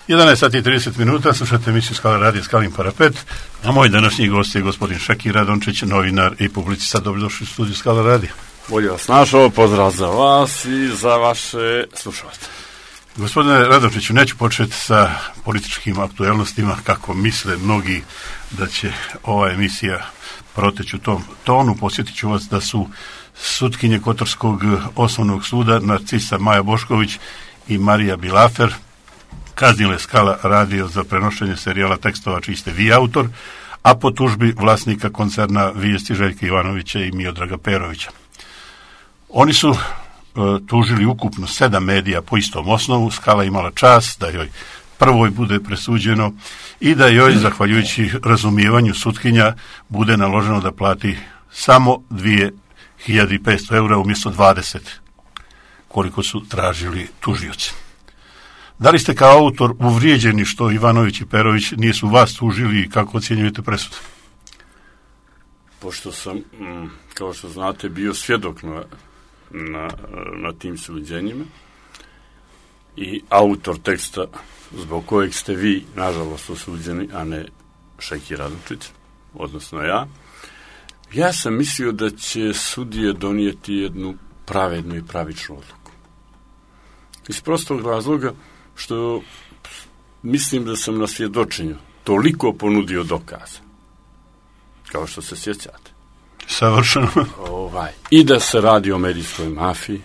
11 sati i 30 minuta, slušate emisiju Skala radija Skalin parapet, a moj današnji gost je gospodin Šeki Radončić, novinar i publicista. Dobrodošli u studiju Skala radija. Bolje vas našao, pozdrav za vas i za vaše slušalce. Gospodine Radončiću, neću početi sa političkim aktuelnostima, kako misle mnogi da će ova emisija proteći u tom tonu. Posjetit ću vas da su sutkinje Kotorskog osnovnog suda Narcisa Maja Bošković i Marija Bilafer kaznile Skala radio za prenošenje serijala tekstova čiji ste vi autor, a po tužbi vlasnika koncerna Vijesti Željka Ivanovića i Miodraga Perovića. Oni su tužili ukupno 7 medija po istom osnovu. Skala imala čast da joj prvoj bude presuđeno i da joj, zahvaljujući razumijevanju sutkinja, bude naloženo da plati samo 2500 eura umjesto 20, koliko su tražili tužioci. Da li ste kao autor uvrijeđeni što Ivanović i Perović nisu vas tužili i kako ocjenjujete presudu? Pošto sam, kao što znate, bio svjedok na tim suđenjima i autor teksta zbog kojeg ste vi, nažalost, osuđeni, a ne Šeki Radončić, odnosno ja sam mislio da će sudije donijeti jednu pravednu i pravičnu odluku. Iz prostog razloga što mislim da sam na svjedočenju toliko ponudio dokaza, kao što se sjećate. Savršeno. I da se radi o medijskoj mafiji,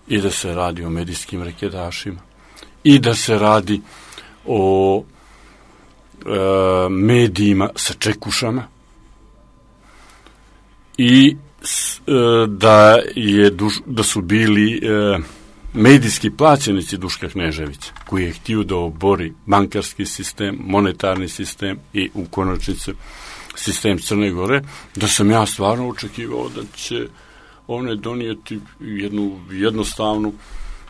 i da se radi o medijskim rekedašima, i da se radi o medijima sa čekušama, i da su bili medijski plaćenici Duška Kneževića, koji je htio da obori bankarski sistem, monetarni sistem i u konačnici sistem Crne Gore, da sam ja stvarno očekivao da će one donijeti jednu jednostavnu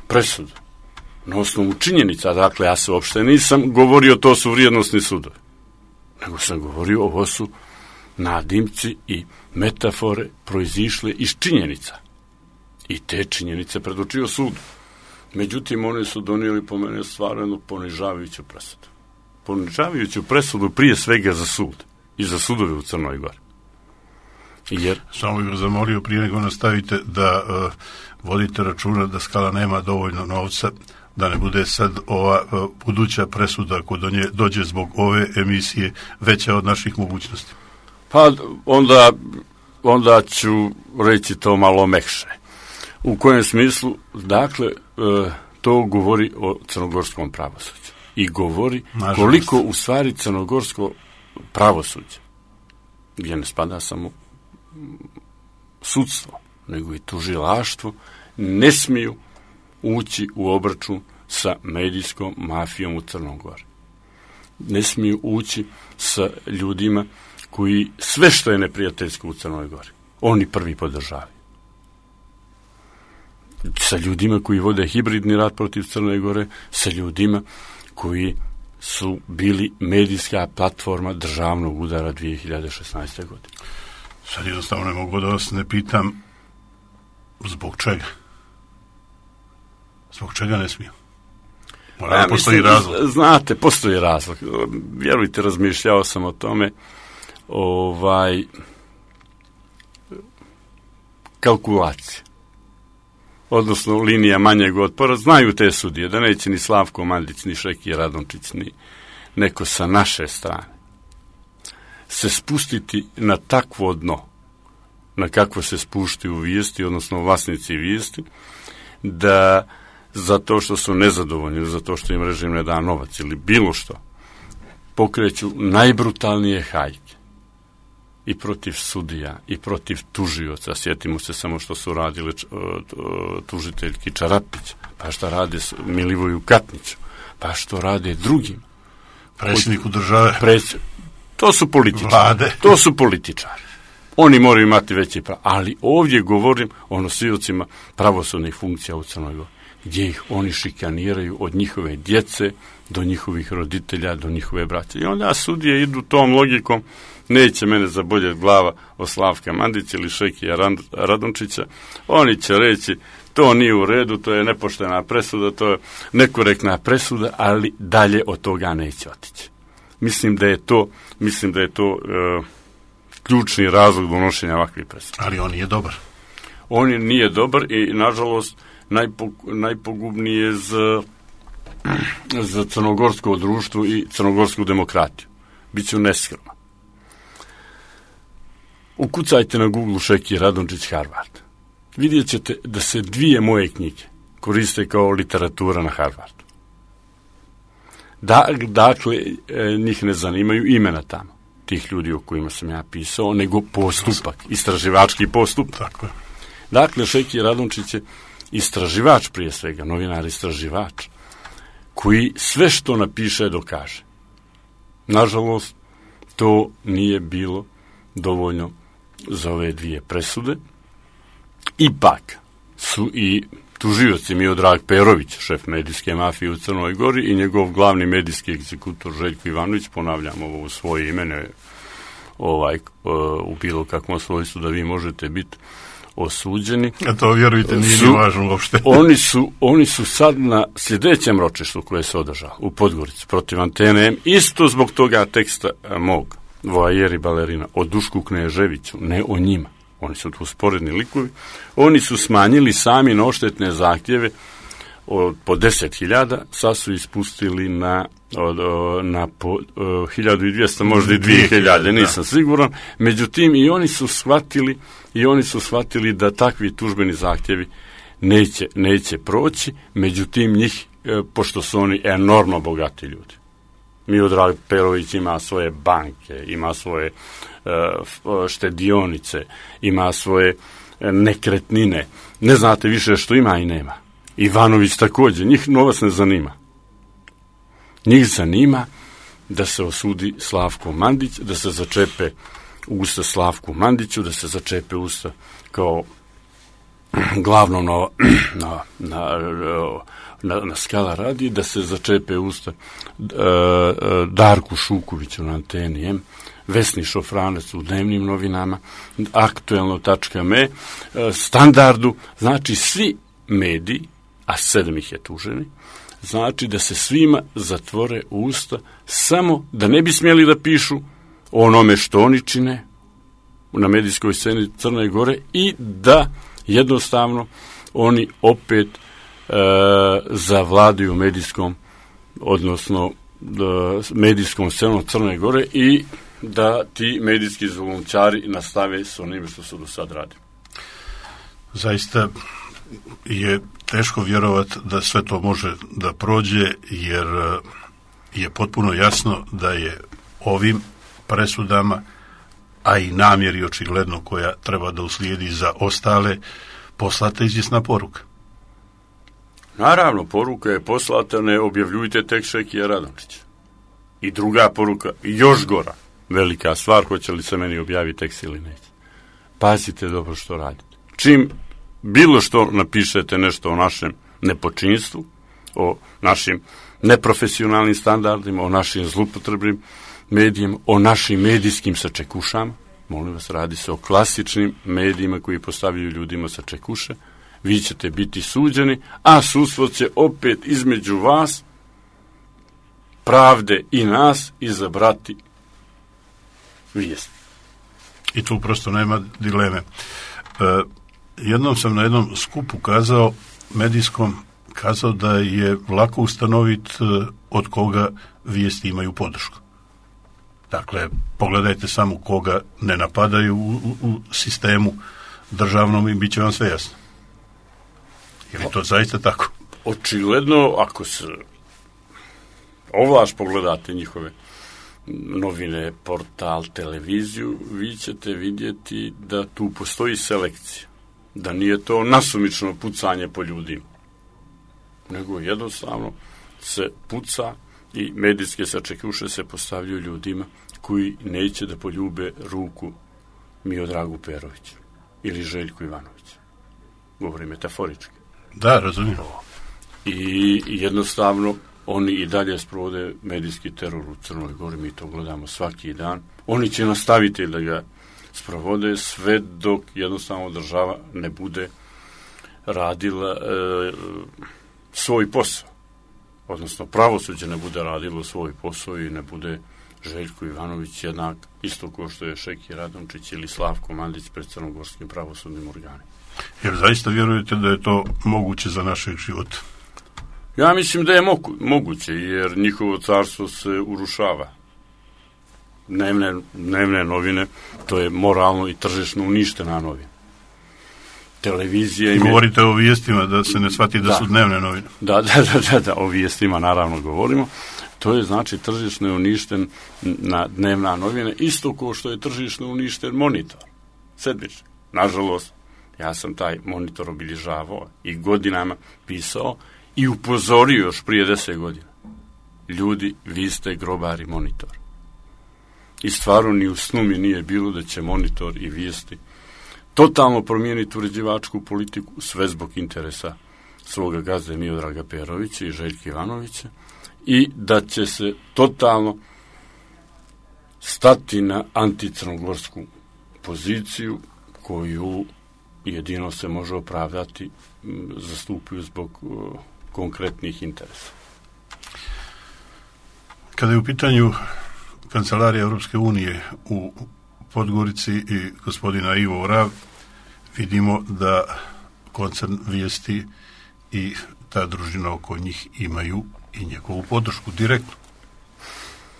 presudu na osnovu činjenica. Dakle, ja se uopšte nisam govorio to su vrijednosni sudovi, nego sam govorio ovo su nadimci i metafore proizišle iz činjenica. I te činjenice predočio sudu. Međutim, oni su donijeli po mene stvarno ponižavajuću presudu. Ponižavajuću presudu prije svega za sud i za sudove u Crnoj Gori. Samo bih vas zamolio prije nego nastavite da vodite računa da Skala nema dovoljno novca, da ne bude sad ova buduća presuda ako do nje dođe zbog ove emisije veća od naših mogućnosti. Pa onda ću reći to malo mekše. U kojem smislu, dakle, to govori o crnogorskom pravosuđu. I govori koliko u stvari crnogorsko pravosuđe, gdje ne spada samo sudstvo, nego i tužilaštvo, ne smiju ući u obračun sa medijskom mafijom u Crnoj Gori. Ne smiju ući sa ljudima koji sve što je neprijateljsko u Crnoj Gori, oni prvi podržavaju. Sa ljudima koji vode hibridni rat protiv Crne Gore, sa ljudima koji su bili medijska platforma državnog udara 2016. godine. Sad jednostavno ne mogu da vas ne pitam zbog čega. Zbog čega ne smiju? Mora postoji razlog. Znate, postoji razlog. Vjerujte, razmišljao sam o tome. Kalkulacija. Odnosno linija manjeg otpora, znaju te sudije da neće ni Slavko Mandić, ni Šeki Radončić, ni neko sa naše strane se spustiti na takvo dno, na kakvo se spuštaju Vijesti, odnosno vlasnici Vijesti, da zato što su nezadovoljni, zato što im režim ne da novac ili bilo što, pokreću najbrutalnije hajke i protiv sudija, i protiv tužioca. Sjetimo se samo što su radili tužiteljki Čarapić, pa što rade Milivoju Katniću, pa što rade drugim. Predsjedniku države. To su političari. Vlade. To su političari. Oni moraju imati veći pravo. Ali ovdje govorim o nosiocima pravosudnih funkcija u Crnoj Gori, gdje ih oni šikaniraju od njihove djece do njihovih roditelja, do njihove braće. I onda sudije idu tom logikom, neće mene zaboljeti glava o Slavka Mandića ili Šekija Radončića, oni će reći to nije u redu, to je nepoštena presuda, to je nekorektna presuda, ali dalje od toga neće otići. Mislim da je to ključni razlog donošenja ovakvih presuda. Ali on nije dobar. On nije dobar i, nažalost, najpogubnije za crnogorsko društvo i crnogorsku demokratiju. Biću neskroman. Ukucajte na Google Šeki Radončić Harvard. Vidjet ćete da se 2 moje knjige koriste kao literatura na Harvardu. Dakle, njih ne zanimaju imena tamo, tih ljudi o kojima sam ja pisao, nego postupak, istraživački postupak. Tako je. Dakle, Šeki Radončić je istraživač prije svega, novinar istraživač, koji sve što napiše dokaže. Nažalost, to nije bilo dovoljno za ove 2 presude. Ipak su i tužioci Miodrag Perović, šef medijske mafije u Crnoj Gori, i njegov glavni medijski egzekutor Željko Ivanović, ponavljam ovo u svoje ime, u bilo kakvom svojstvu da vi možete biti osuđeni. A to, vjerujte, nije ni važno uopšte. Oni su sad na sljedećem ročištu koje se održalo u Podgorici protiv Antene M, isto zbog toga teksta mog Voajeri balerina o Dušku Kneževiću, ne o njima. Oni su tu sporedni likovi. Oni su smanjili sami na odštetne zahtjeve po 10.000, sad su ispustili na 1.200, možda i 2.000, nisam siguran. Međutim, i oni su shvatili da takvi tužbeni zahtjevi neće proći, međutim njih, pošto su oni enormno bogati ljudi. Miodrag Perović ima svoje banke, ima svoje štedionice, ima svoje nekretnine. Ne znate više što ima i nema. Ivanović također, njih novac ne zanima. Njih zanima da se osudi Slavko Mandić, da se začepe usta Slavku Mandiću, da se začepe usta kao glavnom na Skala radi, da se začepe usta Darku Šukoviću na Anteni M, Vesni Šofranec u dnevnim novinama, Aktuelno.me, Standardu, znači svi mediji, a 7 ih je tuženi, znači da se svima zatvore usta, samo da ne bi smjeli da pišu o onome što oni čine na medijskoj sceni Crne Gore i da jednostavno oni opet zavladaju medijskom, odnosno medijskom scenom Crne Gore i da ti medijski zulumčari nastave s onim što su do sad radili. Zaista je teško vjerovati da sve to može da prođe, jer je potpuno jasno da je ovim presudama, a i namjeri očigledno koja treba da uslijedi za ostale, poslata izvjesna poruka. Naravno, poruka je poslata, ne objavljujte tekst Šekija Radončića. I druga poruka, još gora, velika stvar, hoće li se meni objaviti tekst ili neće. Pazite dobro što radite. Čim bilo što napišete nešto o našem nepočinstvu, o našim neprofesionalnim standardima, o našim zlupotrebnim medijima, o našim medijskim sačekušama, molim vas, radi se o klasičnim medijima koji postavljaju ljudima sačekuše, vi ćete biti suđeni, a sudstvo će opet između vas, pravde i nas, izabrati vijest. I tu prosto nema dileme. Jednom sam na jednom skupu medijskom kazao da je lako ustanoviti od koga vijesti imaju podršku. Dakle, pogledajte samo koga ne napadaju u sistemu državnom i bit će vam sve jasno. Je li to zaista tako? Očigledno, ako se ovlaš pogledate njihove novine, portal, televiziju, vi ćete vidjeti da tu postoji selekcija. Da nije to nasumično pucanje po ljudima. Nego jednostavno se puca i medijske sačekuše se postavljaju ljudima koji neće da poljube ruku Miodragu Peroviću ili Željku Ivanoviću. Govorim metaforički. Da, razumijem. I jednostavno oni i dalje sprovode medijski teror u Crnoj Gori, mi to gledamo svaki dan. Oni će nastaviti da ga sprovode sve dok jednostavno država ne bude radila svoj posao. Odnosno, pravosuđe ne bude radilo svoj posao i ne bude Željko Ivanović jednak isto kao što je Šeki Radončić ili Slavko Mandić pred crnogorskim pravosudnim organima. Jer zaista vjerujete da je to moguće za našeg života? Ja mislim da je moguće, jer njihovo carstvo se urušava. Dnevne novine, to je moralno i tržišno uništena novina. Televizija... Govorite o vijestima, da se ne shvati da su dnevne novine. Da, o vijestima naravno govorimo. To je znači tržišno je uništen na dnevna novina, isto kao što je tržišno uništen monitor. Sedmični. Nažalost, ja sam taj monitor obilježavao i godinama pisao i upozorio još prije 10 godina. Ljudi, vi ste grobari monitor. I stvarno ni u snu mi nije bilo da će monitor i vijesti totalno promijeniti uređivačku politiku, sve zbog interesa svoga gazde Miodraga Perovića i Željka Ivanovića, i da će se totalno stati na anticrnogorsku poziciju koju jedino se može opravdati zastupaju zbog konkretnih interesa. Kada je u pitanju Kancelarija Europske unije u Podgorici i gospodina Ivo Orav, vidimo da koncern Vijesti i ta družina oko njih imaju i njegovu podršku direktno.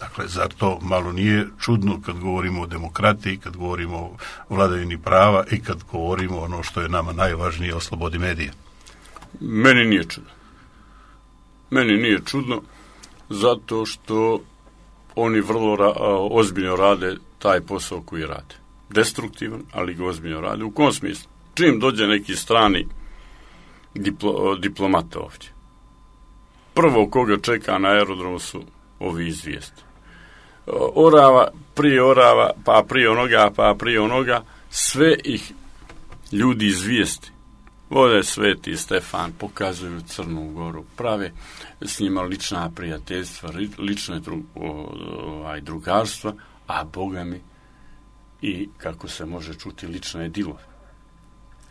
Dakle, zar to malo nije čudno kad govorimo o demokratiji, kad govorimo o vladavini prava i kad govorimo ono što je nama najvažnije, o slobodi medija? Meni nije čudno zato što oni vrlo ozbiljno rade taj posao koji rade. Destruktivan, ali ga ozbiljno rade. U kom smislu? Čim dođe neki strani diplomat ovdje, prvo koga čeka na aerodromu su ovi iz Vijesti. Orava, pa prije onoga, sve ih ljudi iz Vijesti vode Sveti Stefan, pokazuju Crnu Goru, prave s njima lična prijateljstva, lične drugarstva, a Boga mi i, kako se može čuti, lične dilove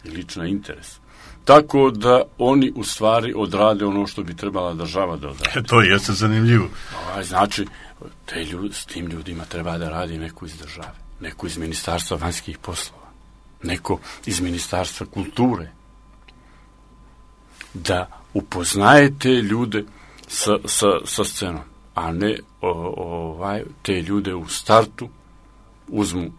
i lične interese. Tako da oni u stvari odrade ono što bi trebala država da odrade. To jeste zanimljivo. Znači, s tim ljudima treba da radi neko iz države, neko iz Ministarstva vanjskih poslova, neko iz Ministarstva kulture, da upoznajete ljude sa scenom, a ne te ljude u startu uzmu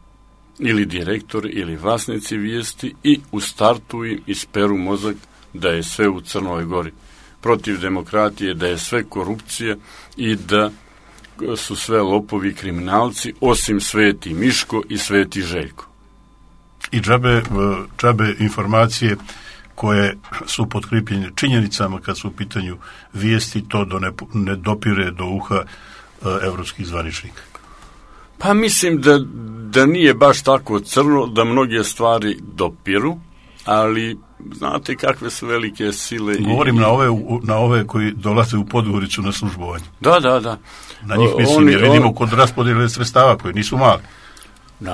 ili direktori ili vlasnici Vijesti i u startu im isperu mozak da je sve u Crnoj Gori protiv demokratije, da je sve korupcija i da su sve lopovi i kriminalci, osim Sveti Miško i Sveti Željko. I džabe informacije koje su potkripljene činjenicama kad su u pitanju vijesti, to ne dopire do uha evropskih zvaničnika. Pa mislim da nije baš tako crno, da mnoge stvari dopiru, ali znate kakve su velike sile. Govorim na ove koji dolaze u Podgoricu na službovanje. Da. Na njih mislim, jer vidimo kod raspodjele sredstava koji nisu mali.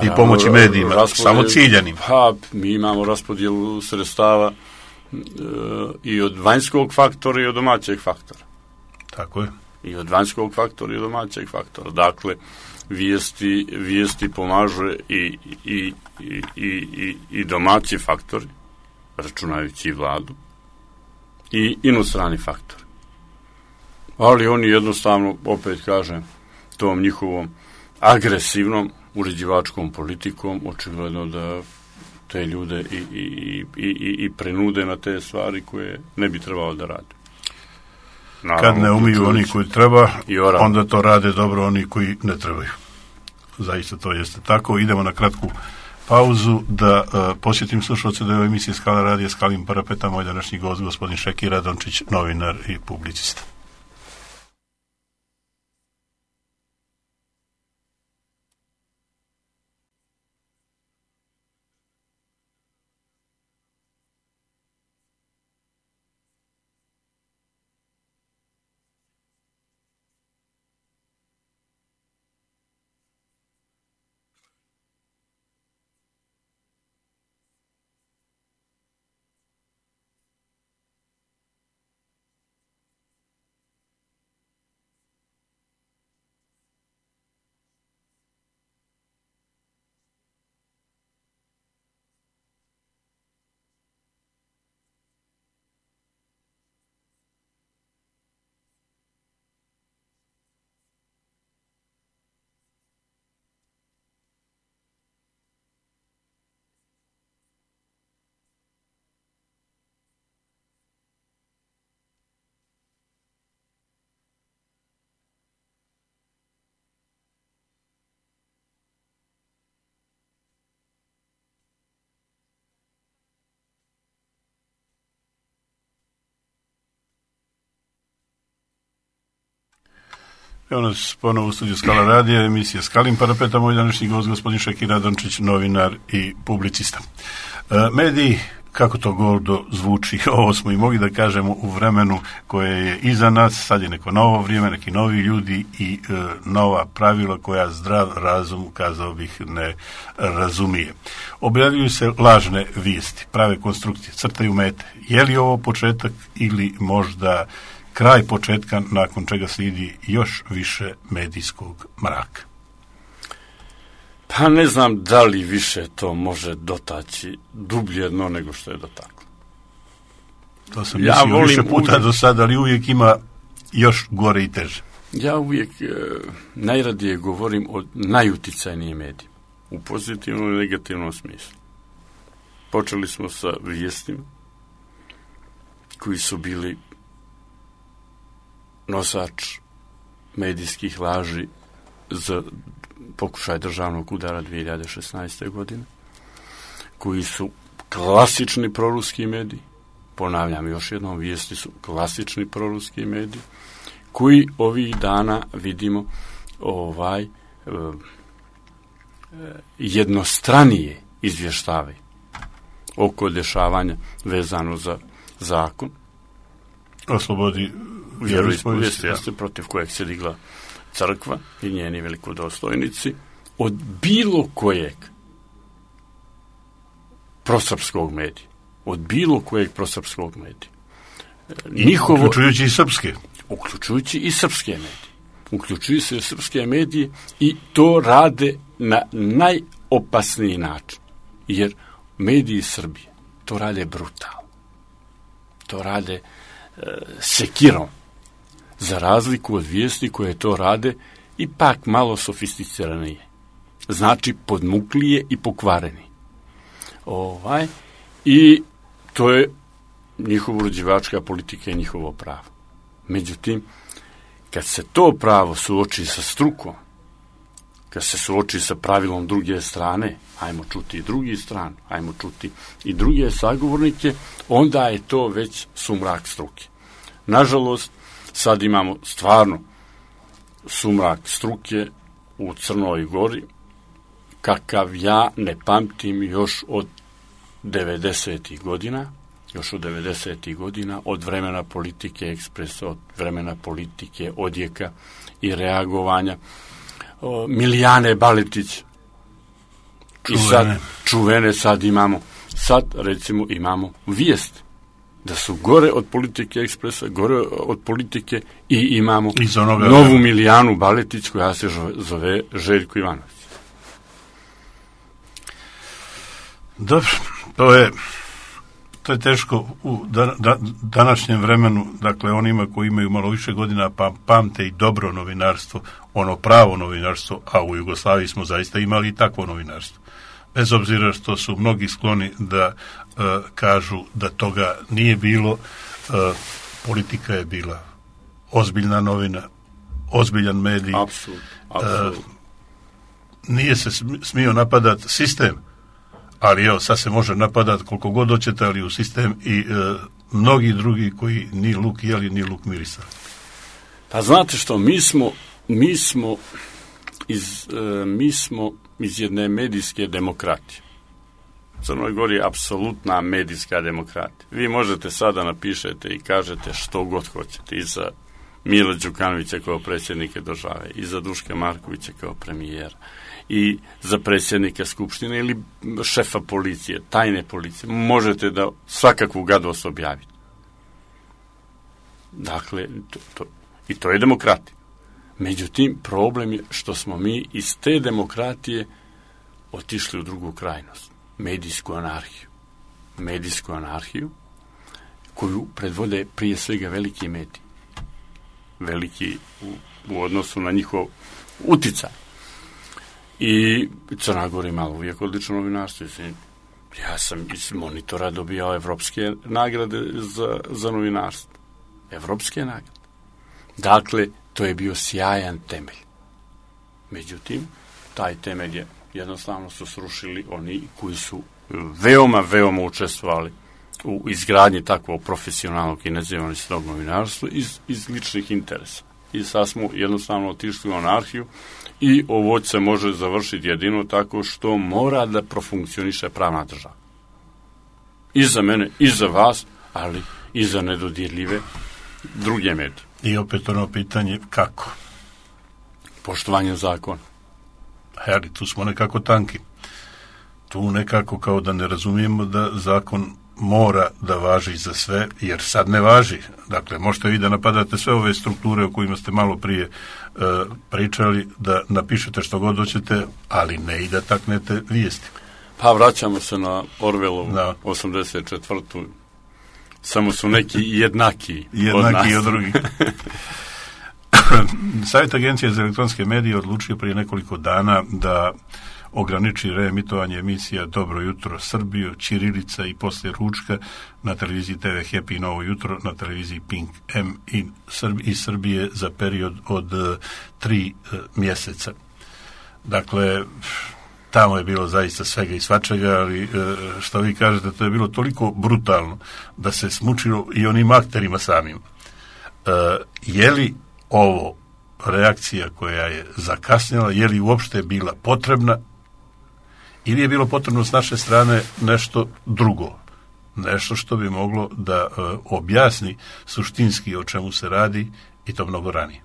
I pomoći medijima, samo ciljanim. Pa, mi imamo raspodjelu sredstava i od vanjskog faktora i od domaćeg faktora. Tako je. I od vanjskog faktora i od domaćeg faktora. Dakle, vijesti pomažu i domaći faktori, računajući i vladu, i inostrani faktori. Ali oni jednostavno, opet kažem, tom njihovom agresivnom uređivačkom politikom očigledno da te ljude i prenude na te stvari koje ne bi trebalo da rade. Naravno, kad ne umiju oni koji treba, onda to rade dobro oni koji ne trebaju. Zaista to jeste tako. Idemo na kratku pauzu da posjetim slušalce da je u emisiji Skala radija Skalim parapeta moj današnji gost, gospodin Šeki Radončić, novinar i publicista. Evo nas ponovo u studiju Skala radija, emisija Skalin parapeta, moj današnji gost gospodin Šakir Adamčić, novinar i publicista. Mediji, kako to gordo zvuči, ovo smo i mogli da kažemo u vremenu koje je iza nas, sad je neko novo vrijeme, neki novi ljudi i nova pravila koja zdrav razum, kazao bih, ne razumije. Objavljuju se lažne vijesti, prave konstrukcije, crtaju mete. Je li ovo početak ili možda kraj početka nakon čega slijedi još više medijskog mraka? Pa ne znam da li više to može dotaći dublje dno nego što je dotaklo. To sam mislio više puta do sada, ali uvijek ima još gore i teže. Ja uvijek najradije govorim o najuticajnijim medijima, u pozitivnom i negativnom smislu. Počeli smo sa vijestima koji su bili nosač medijskih laži za pokušaj državnog udara 2016. godine, koji su klasični proruski mediji, ponavljam još jednom, vijesti su klasični proruski mediji, koji ovih dana vidimo jednostranije izvještavaju oko dešavanja vezano za zakon o slobodi vjeroispovijesti, protiv kojeg se digla crkva i njeni velikodostojnici, od bilo kojeg prosrpskog medija. Od bilo kojeg prosrpskog medija. Uključujući i srpske. Uključujući i srpske medije. Uključuju se srpske medije i to rade na najopasniji način. Jer mediji Srbije to rade brutalno. To rade sekirom. Za razliku od vijesti koje to rade ipak malo sofisticiranije. Znači podmuklije i pokvareni. I to je njihova uređivačka politika i njihovo pravo. Međutim, kad se to pravo suoči sa strukom, kad se suoči sa pravilom druge strane, ajmo čuti i drugi stranu, ajmo čuti i druge sagovornike, onda je to već sumrak struke. Nažalost, sad imamo stvarno sumrak struke u Crnoj Gori, kakav ja ne pamtim još od 90. godina, od vremena politike ekspresa, od vremena politike odjeka i reagovanja. Milijane Baletić, čuvene sad imamo, recimo imamo vijest da su gore od politike ekspresa, gore od politike i imamo novu Milijanu Baletić koja se zove Željko Ivanović. Dobro, to je teško u današnjem vremenu, dakle onima koji imaju malo više godina pa pamte i dobro novinarstvo, ono pravo novinarstvo, a u Jugoslaviji smo zaista imali i takvo novinarstvo. Bez obzira što su mnogi skloni da kažu da toga nije bilo, politika je bila ozbiljna novina, ozbiljan medij. Apsolutno. Nije se smio napadati sistem, ali evo, sad se može napadati koliko god hoćete, ali u sistem i mnogi drugi koji ni luk jeli, ni luk mirisali. Pa znate što, mi smo iz jedne medijske demokratije. U Crnoj Gori je apsolutna medijska demokratija. Vi možete sada napišete i kažete što god hoćete i za Mila Đukanovića kao predsjednika države, i za Duška Markovića kao premijera, i za predsjednika Skupštine ili šefa policije, tajne policije. Možete da svakakvu gadost objavite. Dakle, i to je demokratija. Međutim, problem je što smo mi iz te demokratije otišli u drugu krajnost. Medijsku anarhiju koju predvode prije svega veliki mediji. Veliki u odnosu na njihov uticaj. I Crna Gora imala uvijek odlično novinarstvo. Ja sam iz Monitora dobijao evropske nagrade za novinarstvo. Evropske nagrade. Dakle, to je bio sjajan temelj. Međutim, taj temelj je jednostavno su srušili oni koji su veoma učestvovali u izgradnji takvog profesionalnog i nezavisnog novinarstva iz ličnih interesa. i sad smo jednostavno otišli u anarhiju i ovo se može završiti jedino tako što mora da profunkcioniše pravna država. I za mene, i za vas, ali i za nedodirljive druge medije. I opet ono pitanje kako? Poštovanje zakona. Ali tu smo nekako tanki. Tu nekako kao da ne razumijemo da zakon mora da važi za sve, jer sad ne važi. Dakle, možete vi da napadate sve ove strukture o kojima ste malo prije pričali, da napišete što god hoćete, ali ne i da taknete vijesti. Pa vraćamo se na Orwellovu 84. Samo su neki jednaki od drugih. Savjet Agencije za elektronske medije odlučio prije nekoliko dana da ograniči reemitovanje emisija Dobro jutro Srbiju, Ćirilica i Poslije ručka na televiziji TV Happy Novo jutro, na televiziji Pink M iz Srbije za period od 3 mjeseca. Dakle, tamo je bilo zaista svega i svačega, ali što vi kažete, to je bilo toliko brutalno da se smučilo i onim akterima samim. Je li ovo reakcija koja je zakasnila, je li uopšte bila potrebna ili je bilo potrebno s naše strane nešto drugo, nešto što bi moglo da objasni suštinski o čemu se radi i to mnogo ranije?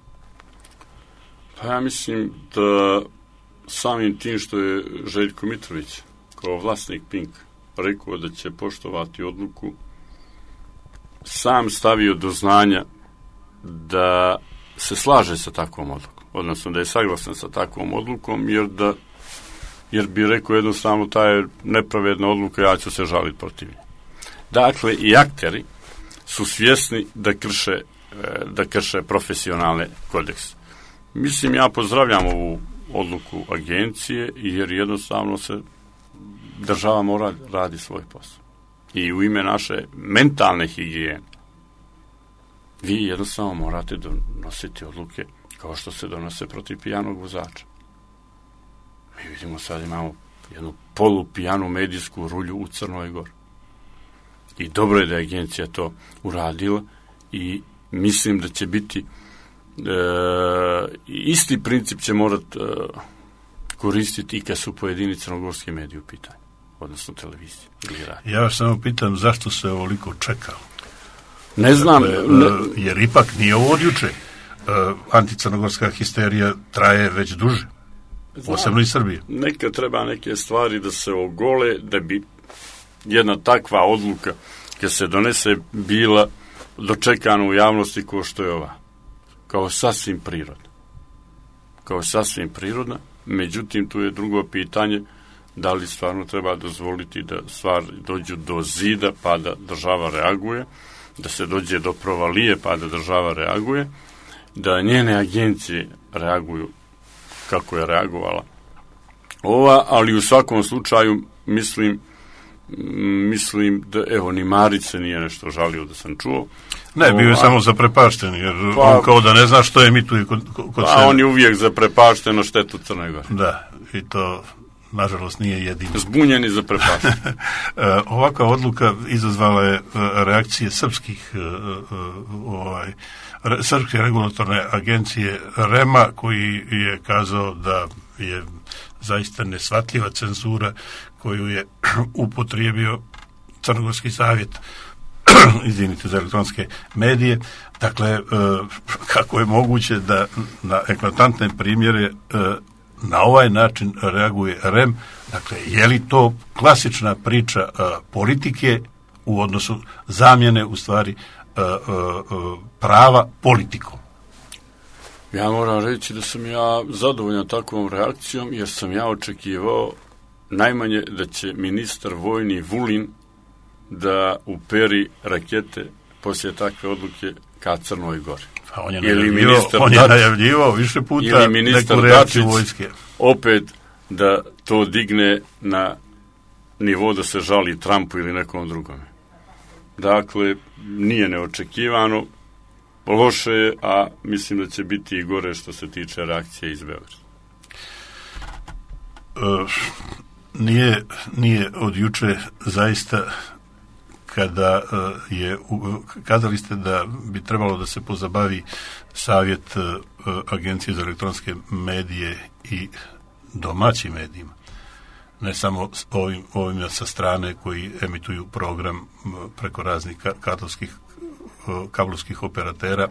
Pa ja mislim da samim tim što je Željko Mitrović kao vlasnik Pink rekao da će poštovati odluku, sam stavio do znanja da se slaže sa takvom odlukom, odnosno da je saglasan sa takvom odlukom, jer bi rekao jednostavno ta je nepravedna odluka, ja ću se žaliti protiv nje. Dakle, i akteri su svjesni da krše profesionalne kodekse. Mislim, ja pozdravljam ovu odluku agencije, jer jednostavno se država mora radi svoj posao. I u ime naše mentalne higijene vi jednostavno morate donositi odluke kao što se donose protiv pijanog vozača. Mi vidimo sad imamo jednu polupijanu medijsku rulju u Crnoj Gori. I dobro je da je agencija to uradila i mislim da će biti isti princip će morati koristiti i kad su pojedini crnogorski mediji u pitanju, odnosno televizije ili radio. Ja vas samo pitam zašto se ovoliko čekao? Ne znam. Jer ipak nije ovo od juče. Anticrnogorska histerija traje već duže. Posebno i Srbije. Nekad treba neke stvari da se ogole, da bi jedna takva odluka kad se donese bila dočekana u javnosti kao što je ova. Kao sasvim prirodna. Međutim, tu je drugo pitanje, da li stvarno treba dozvoliti da stvari dođu do zida pa da država reaguje, da se dođe do provalije pa da država reaguje, da njene agencije reaguju kako je reagovala ova, ali u svakom slučaju mislim da, evo, ni Marić se nije nešto žalio da sam čuo. Ne, bio je samo zaprepašten, jer on kao da ne zna što je emituje kod sebe. On je uvijek zaprepašten na štetu Crne Gore. Da, i to nažalost nije jedino. Zbunjen i zaprepašten. Ovakva odluka izazvala je reakcije srpske regulatorne agencije REM-a, koji je kazao da je zaista nesvatljiva cenzura koju je upotrijebio Crnogorski savjet za elektronske medije. Dakle, kako je moguće da na eklatantne primjere na ovaj način reaguje REM? Dakle, je li to klasična priča politike u odnosu zamjene, u stvari, prava politikom? Ja moram reći da sam ja zadovoljan takvom reakcijom, jer sam ja očekivao najmanje da će ministar vojni Vulin da uperi rakete poslije takve odluke ka Crnoj Gori. Pa on je najavljivao više puta neku reakciju vojske. Opet da to digne na nivo da se žali Trumpu ili nekom drugome. Dakle, nije neočekivano, loše je, a mislim da će biti i gore što se tiče reakcije iz Beograda. Nije od juče zaista kada kazali ste da bi trebalo da se pozabavi savjet Agencije za elektronske medije i domaćim medijima, ne samo ovim sa strane koji emituju program preko raznih kablovskih operatera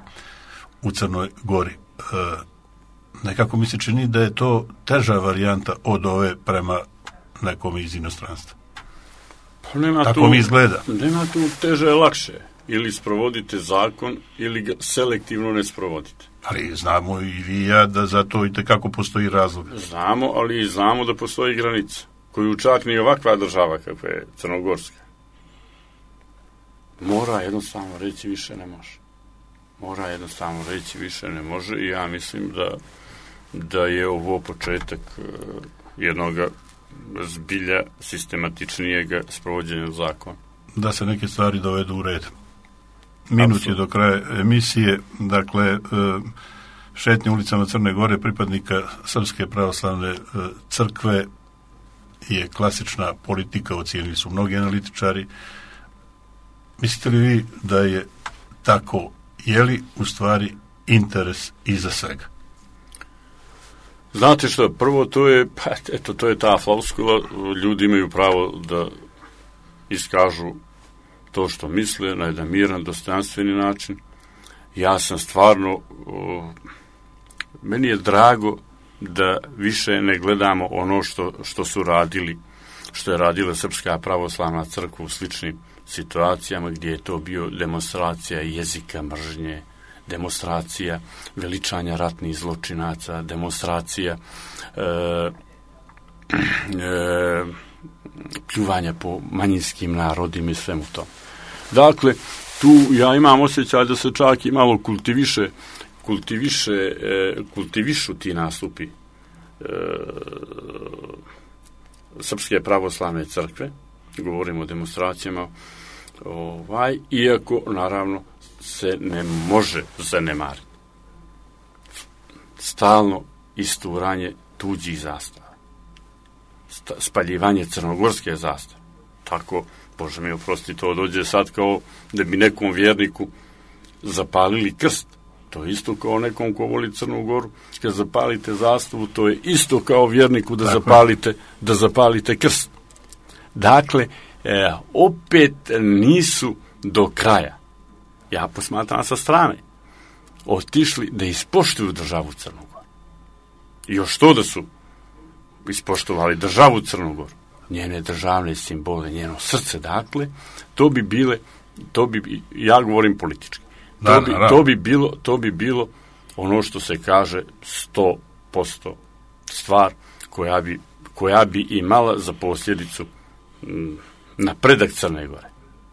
u Crnoj Gori. Nekako mi se čini da je to teža varijanta od ove prema nekom iz inostranstva. Tako mi izgleda. Nema tu teže lakše. Ili sprovodite zakon, ili ga selektivno ne sprovodite. Ali znamo i vi i ja da za to i tekako postoji razlog. Znamo, ali i znamo da postoji granica, koju čak ni ovakva država kakva je Crnogorska. Mora jednostavno reći više ne može. I ja mislim da je ovo početak jednog zbilja sistematičnijeg sprovođenja zakona. Da se neke stvari dovedu u red. Minut je do kraja emisije. Dakle, šetnje ulicama Crne Gore pripadnika Srpske pravoslavne crkve je klasična politika, ocijenili su mnogi analitičari. Mislite li vi da je tako? Je li u stvari interes iza svega? Znate što, prvo to je ta floskula, ljudi imaju pravo da iskažu to što misle na jedan miran, dostojanstveni način. Ja sam stvarno, meni je drago da više ne gledamo ono što su radili, što je radila Srpska pravoslavna crkva u sličnim situacijama gdje je to bio demonstracija jezika mržnje, demonstracija veličanja ratnih zločinaca, demonstracija pljuvanja po manjinskim narodima i svemu tom. Dakle, tu ja imam osjećaj da se čak i malo kultivišu ti nastupi Srpske pravoslavne crkve, govorimo o demonstracijama, iako naravno se ne može zanemariti stalno isturanje tuđih zastava, spaljivanje crnogorske zastave. Tako, Bože mi oprosti, to dođe sad kao da bi nekom vjerniku zapalili krst. To je isto kao nekom ko voli Crnu Goru, kad zapalite zastavu, to je isto kao vjerniku da zapalite krst. Dakle, opet nisu do kraja, ja posmatram sa strane, otišli da ispoštuju državu Crnu Goru. I još to da su ispoštovali državu Crnu Goru, njene državne simbole, njeno srce, dakle, ja govorim politički, to bi bilo ono što se kaže 100% stvar koja bi imala za posljedicu napredak Crne Gore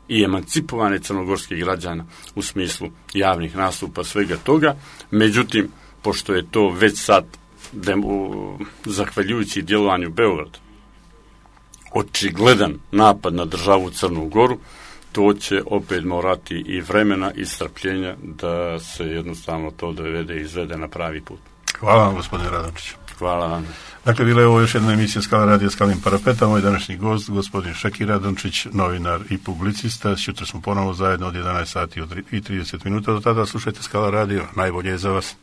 i emancipovane crnogorskih građana u smislu javnih nastupa, svega toga. Međutim, pošto je to već sad, zahvaljujući djelovanju Beograda, očigledan napad na državu Crnu Goru, to će opet morati i vremena i strpljenja da se jednostavno to dovede i izvede na pravi put. Hvala vam, gospodine Radončić. Hvala vam. Dakle, bila je ovo još jedna emisija Skala radija Skalim parapeta. Moj današnji gost, gospodin Šeki Radončić, novinar i publicista. Sutra smo ponovo zajedno od 11 sati i 30 minuta. Do tada slušajte Skala radio. Najbolje je za vas.